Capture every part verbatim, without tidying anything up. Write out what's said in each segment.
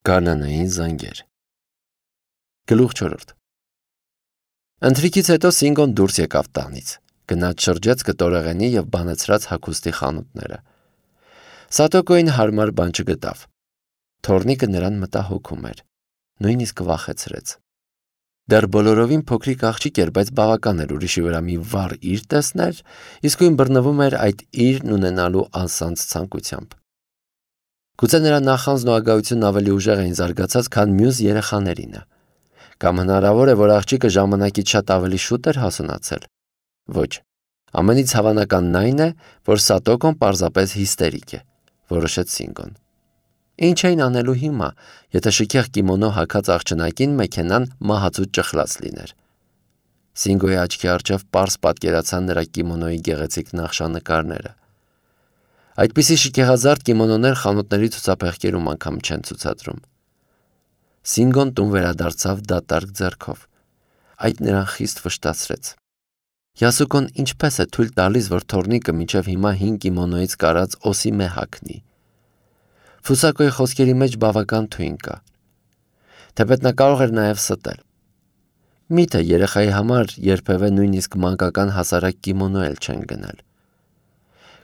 Գարնանային զանգեր։ Գլուխ չորրորդ։ Ընթրիքից հետո Սինգոն դուրս եկավ տանից, գնաց շրջեց կտորեղենի և բանեցրած հագուստի խանութները։ Սատոկոին հարմար բան չգտավ։ Թոռնիկը նրան մտահոգում էր, նույնիսկ վախեցրեց։ Դեռ բոլորովին փոքրիկ աղջիկ էր, բայց բավական էր ուրիշի վրա մի վառ իր տեսներ, իսկույն բռնվում էր այդ իրն ունենալու անսանձ ցանկությամբ։ Գուցե նրա նախանձն ու ագահությունն ավելի ուժեղ էին զարգացած, քան մյուս երեխաներինը։ Կամ հնարավոր է, որ աղջիկը ժամանակից շատ ավելի շուտ էր հասունացել։ Ոչ, ամենից հավանականն այն է, որ Սատոկոն պարզապես հիստերիկ է, որոշեց Սինգոն։ Ինչ էին անելու հիմա, եթե շքեղ կիմոնո հագած աղջնակին մեքենան մահացու ճխլած լիներ։ Սինգոյի աչքի առջև պարզ պատկերացան նրա կիմոնոյի գեղեցիկ նախշանկարները։ Այդպիսի շքեղազարդ կիմոնոներ խանութների ցուցափեղկերում անգամ չեն ցուցադրում։ Սինգոն տուն վերադարձավ դատարկ ձեռքով։ Այդ նրան խիստ վշտացրեց։ Յասուկոն ինչպես է թույլ տալիս, որ թոռնիկը մինչև հիմա հին կիմոնոյից կարած օսիմե հագնի։ Ֆուսակոյի խոսքերի մեջ բավական թույն կա։ Թեպետ նա կարող էր նաև ստել։ Միթե երեխայի համար երբևէ նույնիսկ մանկական հասարակ կիմոնո էլ չեն գնել։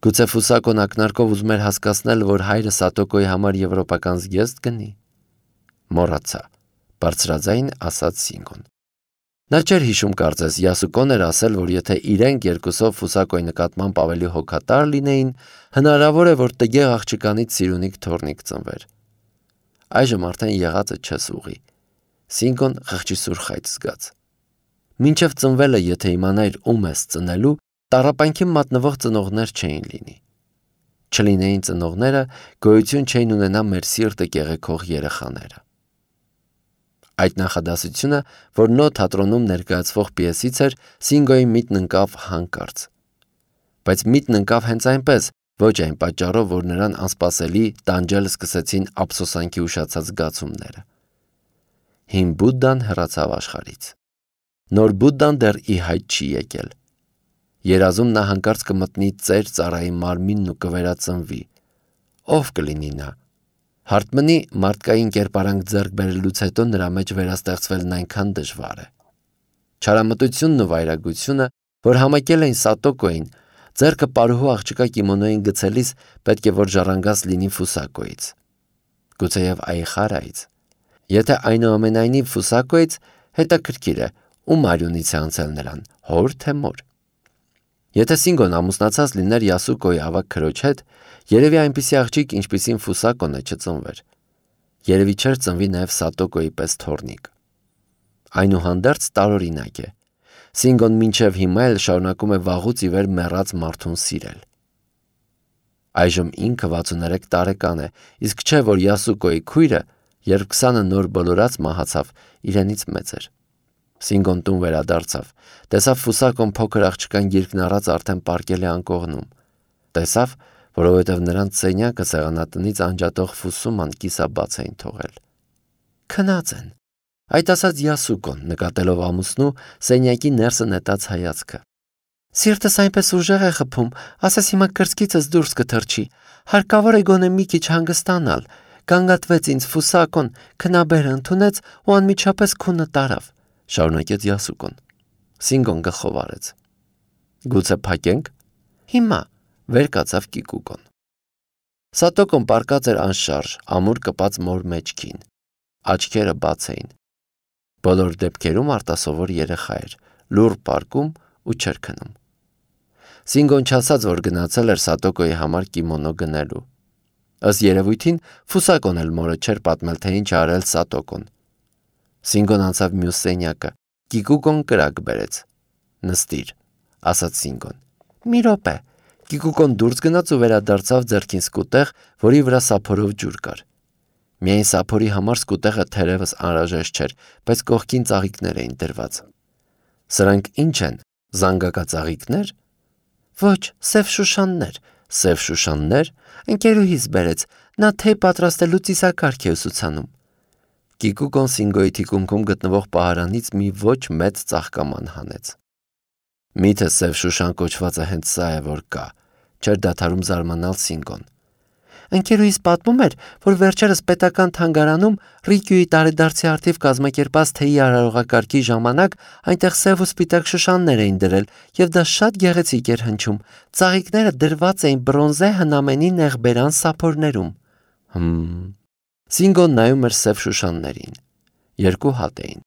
Գուցե Ֆուսակոն ակնարկով ուզում էր հասկացնել, որ հայրը Սատոկոյի համար եվրոպական զգեստ գնի։ Մոռացա, բարձրաձայն ասաց Սինգոն։ Նա չէր հիշում կարծես, Յասուկոն էր ասել, որ եթե իրենք երկուսով Ֆուսակոյի նկատմամբ ավելի հոգատար լինեին, հնարավոր է, որ տգեղ աղջկանից սիրունիկ թոռնիկ ծնվեր։ Այժմ արդեն եղածը չես ուղի։ Սինգոն խղճի սուրխայց զգաց։ Մինչև ծնվելը, եթե իմանայր ում ես ծնելու, տառապանքին մատնվող ծնողներ չէին լինի։ Չլինեին ծնողները, գոյություն չէին ունենա մեր սիրտը կեղեքող երեխաները։ Այդ նախադասությունը, որ Նո թատրոնում ներկայացվող պիեսից էր, Սինգոյի միտն ընկավ հանկարծ։ Բայց միտն ընկավ հենց այնպես, ոչ այն պատճառով, որ նրան անսպասելի տանջել սկսեցին ափսոսանքի ուշացած զգացումները։ Հին Բուդդան հեռացավ աշխարհից։ Նոր Բուդդան դեռ ի հայտ չի եկել։ Երազում նա հանկարծ կմտնի ծեր ծառայի մարմինն ու կվերածնվի։ Ով կլինի նա։ Հարտմնի մարդկային կերպարանք ձեռք բերելուց հետո նրա մեջ վերաստեղծվելն այնքան դժվար է։ Չարամտությունն ու վայրագությունը, որ համակել էին Սատոկոյին, ձեռքը պարուհու աղջկա կիմոնոյին գցելիս պետք է որ ժառանգած լինի Ֆուսակոյից։ Գուցեև Այխարայից։ Եթե այնուամենայնիվ Ֆուսակոյից, հետաքրքիր է, ում արյունից է անցել նրան, հոր թե մոր։ Եթե Սինգոն ամուսնացած լիներ Յասուկոյի ավագ քրոջ հետ, երևի այնպիսի աղջիկ, ինչպիսին Ֆուսակոն է, չծնվեր։ Երևի չէր ծնվի նաև Սատոկոյի պես թոռնիկ։ Այնուհանդերձ տարօրինակ է։ Սինգոն մինչև հիմա էլ շարունակում է վաղուց ի վեր մեռած մարդուն սիրել։ Այժմ ինքը վաթսուններեք տարեկան է, իսկ չէ, որ Յասուկոյի քույրը, երբ քսանը նոր բոլորած մահացավ, իրենից մեծ էր։ Սինգոն տուն վերադարձավ, տեսավ Ֆուսակոն փոքր աղջկան գիրկն առած արդեն պառկել է անկողնում։ Տեսավ, որովհետև նրանց սենյակը սեղանատնից անջատող Ֆուսուման կիսաբաց էին թողել։ Քնած են, այդ ասաց Յասուկոն, նկատելով ամուսնու սենյակի ներսը նետած հայացքը։ Սիրտս այնպես ուժեղ է խփում, ասես հիմա կրծքիցս դուրս կթռչի, հարկավոր է գոնե մի քիչ հանգստանալ։ Գանգատվեց ինձ Ֆուսակոն, քնաբերը ընդունեց ու անմիջապես քունը տարավ, շարունակեց Յասուկոն։ Սինգոն գլխով արեց։ Գուցե փակենք։ Հիմա վեր կացավ Կիկուկոն։ Սատոկոն պառկած էր անշարժ, ամուր կպած մոր մեջքին։ Աչքերը բաց էին։ Բոլոր դեպքերում արտասովոր երեխա էր, լուռ պառկում ու չէր քնում։ Սինգոն չասաց, որ գնացել էր Սատոկոյի համար կիմոնո գնելու։ Ըստ երևույթին Ֆուսակոն էլ մորը չէր պատմել, թե ինչ արել Սատոկոն։ Սինգոն անցավ մյուս սենյակը։ Կիկուկոն կրակ բերեց։ Նստիր, ասաց Սինգոն։ Մի րոպե։ Կիկուկոն դուրս գնաց ու վերադարձավ ձեռքին սկուտեղ, որի վրա սափորով ջուր կար։ Միայն սափորի համար սկուտեղը թերևս անհրաժեշտ չէր, բայց կողքին ծաղիկներ էին դրված։ Սրանք ինչ են, զանգակածաղիկներ։ Ոչ, սև շուշաններ։ Սև շուշաններ, ընկերուհիս բերեց, նա թեյ պատրաստելու ծիսակարգ է ուսուցանում։ Կիկուկոն Սինգոյի թիկունքում գտնվող պահարանից մի ոչ մեծ ծաղկաման հանեց։ Միթե սև շուշան կոչվածը հենց սա է, որ կա, չէր դադարում զարմանալ Սինգոն։ Ընկերուհիս պատմում էր, որ վերջերս պետական թանգարանում Ռիկյուի տարեդարձի արդիվ կազմակերպած թեյի արարողակարգի ժամանակ այնտեղ սև ու սպիտակ շուշաններ էին դրել, եւ դա շատ գեղեցիկ էր հնչում։ Ծաղիկները դրված էին բրոնզե հնամենի նեղբերան սափորներում։ Հմ։ Սինգոն նայում էր սև շուշաններին։ Երկու հատ էին։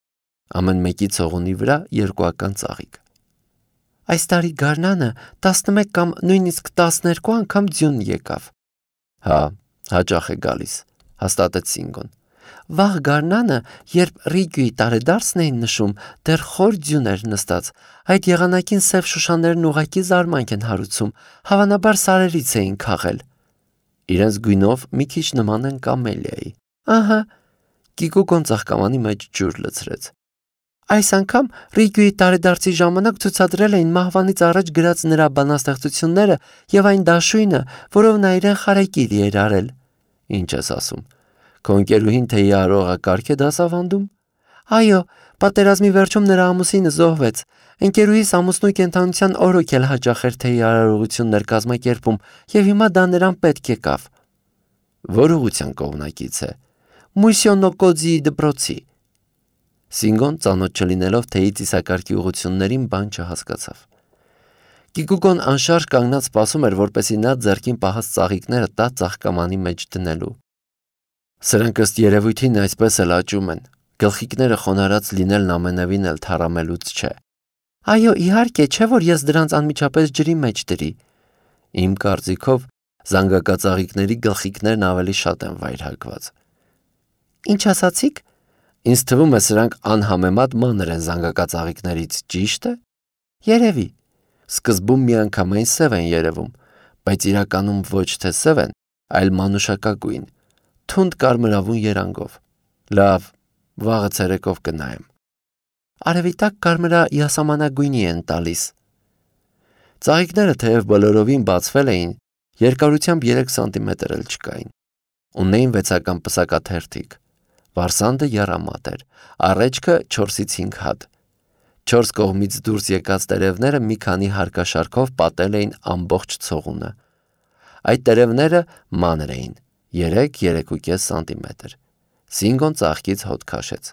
Ամեն մեկի ցողունի վրա երկուական ծաղիկ։ Այս տարի գարնանը տասնմեկ կամ նույնիսկ տասներկու անգամ ձյուն եկավ։ Հա, հաճախ է գալիս, հաստատեց Սինգոն։ Վաղ գարնանը, երբ Ռիկյուի տարեդարձն էին նշում, դեռ խոր ձյուն էր նստած։ Այդ եղանակին սև շուշաներն ուղղակի զարմանք են հարուցում, հավանաբար սարերից էին քաղել։ Իրենց գույնով մի քիչ նման են կամելիայի։ Ահա, Կիկուկոն ծաղկամանի մեջ ջուր լցրեց։ Այս անգամ Ռիկյուի տարեդարձի ժամանակ ցուցադրել էին մահվանից առաջ գրած նրա բանաստեղծությունները եւ այն դաշույնը, որով նա իրեն խարեկիր էր արել։ Ինչ ես ասում։ Քո ընկերուհին թեյի արարողակարգ է դասավանդում։ Այո, պատերազմի վերջում նրա ամուսինը զոհվեց։ Ընկերուհիս ամուսնու կենթանության օրոք էլ հաճախ էր թեյի արարողություններ կազմակերպում եւ հիմա դա նրան պետք եկավ։ Որ ուղղության կողմնակից է։ Մուսյոնոկոձի դպրոցի։ Սինգոն ծանոթ չլինելով թեյի ծիսակարգի ուղղություններին բան չհասկացավ։ Կիկուկոն անշարժ կանգնած սպասում էր, որպեսզի նա ձեռքին պահած ծաղիկները տա ծաղկամանի մեջ դնելու։ Սրանք ըստ երևույթին այսպես էլ աճում են։ Գլխիկները խոնարհած լինելն ամենևին էլ թառամելուց չէ։ Այո, իհարկե, չէ որ ես դրանց անմիջապես ջրի մեջ դրի։ Իմ կարծիքով զանգակածաղիկների գլխիկներն ավելի շատ են վայրհակված։ Ինչ ասացիք։ Ինձ թվում է սրանք անհամեմատ մանր են զանգակածաղիկներից, ճիշտ է։ Երևի։ Սկզբում միանգամայն սև են երևում, բայց իրականում ոչ թե սև են, այլ մանուշակագույն, թունդ կարմրավուն երանգով։ Լավ, վաղը ցերեկով կնայեմ։ Արևի տակ կարմրա յասամանագույնի են տալիս։ Ծաղիկները թեև բոլորովին բացվել էին, երկարությամբ երեք սանտիմետր էլ չկային։ Ունեին վեցական պսակաթերթիկ։ Վարսանդը եռամատ էր, առէջքը չորսից հինգ հատ։ Չորս կողմից դուրս եկած տերևները մի քանի հարկաշարքով պատել էին ամբողջ ցողունը։ Այդ տերևները մանր էին, երեք երեք ու կես սանտիմետր։ Սինգոն ծաղկից հոտ քաշեց։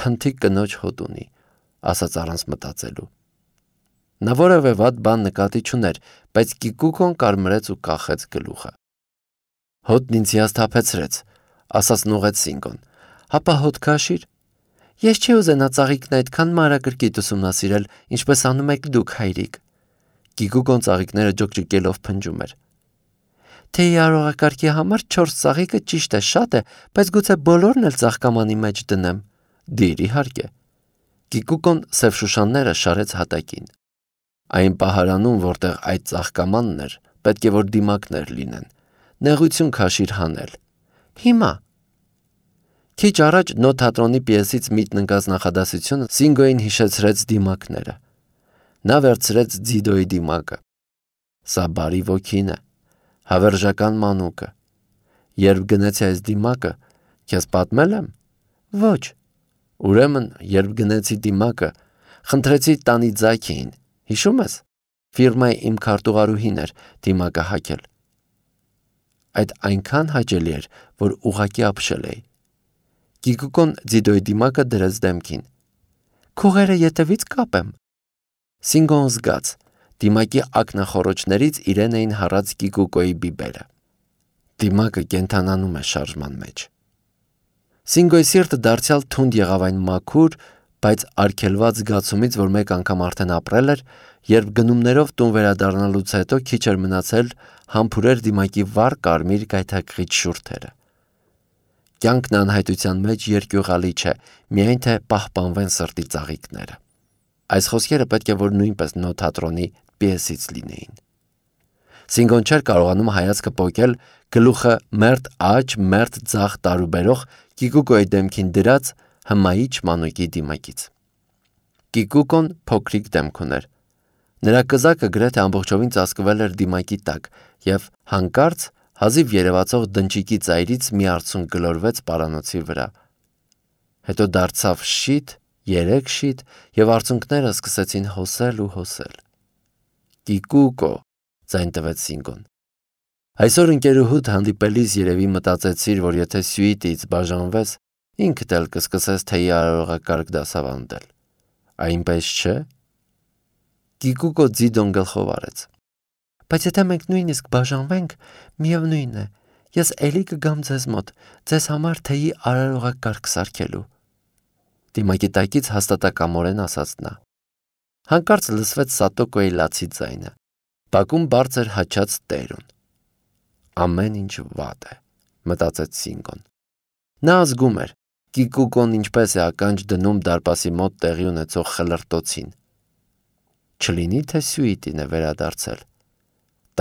Փնթի կնոջ հոտ ունի, ասաց առանց մտածելու։ Նա որևէ վատ բան նկատի չուներ, բայց Կիկուկոն կարմրեց ու կախեց գլուխը։ Հոտն ինձ հիասթափեցրեց, ասաց նուղեց Սինգոն։ Հապա հոտ քաշիր։ Ես չի ուզենա ծաղիկն այդքան մանրակրկիտ ուսումնասիրել, ինչպես անում եք դուք, հայրիկ։ Կիկուկոն ծաղիկները ջոկջկելով փնջում էր։ Թեյի արարողակարգի համար չորս ծաղիկը ճիշտ է, շատ է, բայց գուցե բոլորն էլ ծաղկամանի մեջ դնեմ։ Դիր, իհարկե։ Կիկուկոն սև շուշանները շարեց հատակին։ Այն պահարանում, որտեղ այդ ծաղկամանն էր, պետք է որ դիմակներ լինեն։ Նեղություն քաշիր հանել։ Հիմա։ Քիչ առաջ Նո թատրոնի պիեսից միտն ընկած նախադասությունը Սինգոյին հիշեցրեց դիմակները։ Նա վերցրեց Ձիդոյի դիմակը։ Սա բարի ոգին է, հավերժական մանուկը։ Երբ գնեցի այս դիմակը, քեզ պատմել եմ։ Ոչ։ Ուրեմն, երբ գնեցի դիմակը, խնդրեցի տանի ձայքին, հիշում ես։ Ֆիրմայի իմ քարտուղարուհին էր դիմակը հագել։ Այդ այնքան հաճելի էր, որ ուղղակի ապշել էի։ Կիկուկոն Ձիդոյի դիմակը դրեց դեմքին։ Քուղերը ետևից կապեմ։ Սինգոն զգաց, դիմակի ակնախոռոչներից իրեն էին հառած Կիկուկոյի բիբերը։ Դիմակը կենթանանում է շարժման մեջ։ Սինգոյի սիրտը դարձյալ թունդ եղավ այն մաքուր, բայց արգելված զգացումից, որ մեկ անգամ արդեն ապրել էր, երբ գնումներով տուն վերադառնալուց հետո քիչ էր մնացել համբուրեր դիմակի վառ կարմիր գայթակղիչ շուրթերը։ Կյանքն անհայտության մեջ երկյուղալի չէ, միայն թե պահպանվեն սրտի ծաղիկները։ Այս խոսքերը պետք է որ նույնպես Նո թատրոնի պիեսից լինեին։ Սինգոն չէր կարողանում հայացքը պոկել գլուխը մերթ աջ, մերթ ձախ տարուբերող Կիկուկոյի դեմքին դրած հմայիչ մանուկի դիմակից։ Կիկուկոն փոքրիկ դեմք ուներ։ Նրա կզակը գրեթե ամբողջովին ծածկվել էր դիմակի տակ, եւ հանկարծ հազիվ երևացող դնչիկի ծայրից մի արցունք գլորվեց պարանոցի վրա։ Հետո դարձավ շիթ, երեք շիթ, եւ արցունքները սկսեցին հոսել ու հոսել։ Կիկուկո, ձայն տվեց Սինգոն։ Այսօր ընկերուհուդ հանդիպելիս երևի մտածեցիր, որ եթե սյուիտից բաժանվես, ինքդ էլ կսկսես թեյի արարողակարգ դասավանդել։ Այնպես չէ՞։ Կիկուկո Ձիդոն գլխով արեց։ Բայց եթե մենք նույնիսկ բաժանվենք, միևնույն է, ես էլի կգամ ձեզ մոտ, ձեզ համար թեյի արարողակարգ սարքելու։ Դիմակի տակից հաստատակամորեն ասաց նա։ Հանկարծ լսվեց Սատոկոյի լացի ձայնը։ Բակում բարձր հաչած տերուն։ Ամեն ինչ վատ է, մտածեց Սինգոն։ Նա ազգում էր, Կիկուկոն ինչպես է ականջ դնում դարպասի մոտ տեղի ունեցող խլրտոցին։ Չլինի թե սյուիտին է վերադարձել։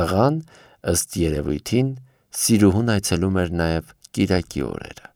Տղան, ըստ երևույթին, սիրուհուն այցելում էր նաև կիրակի օրերը։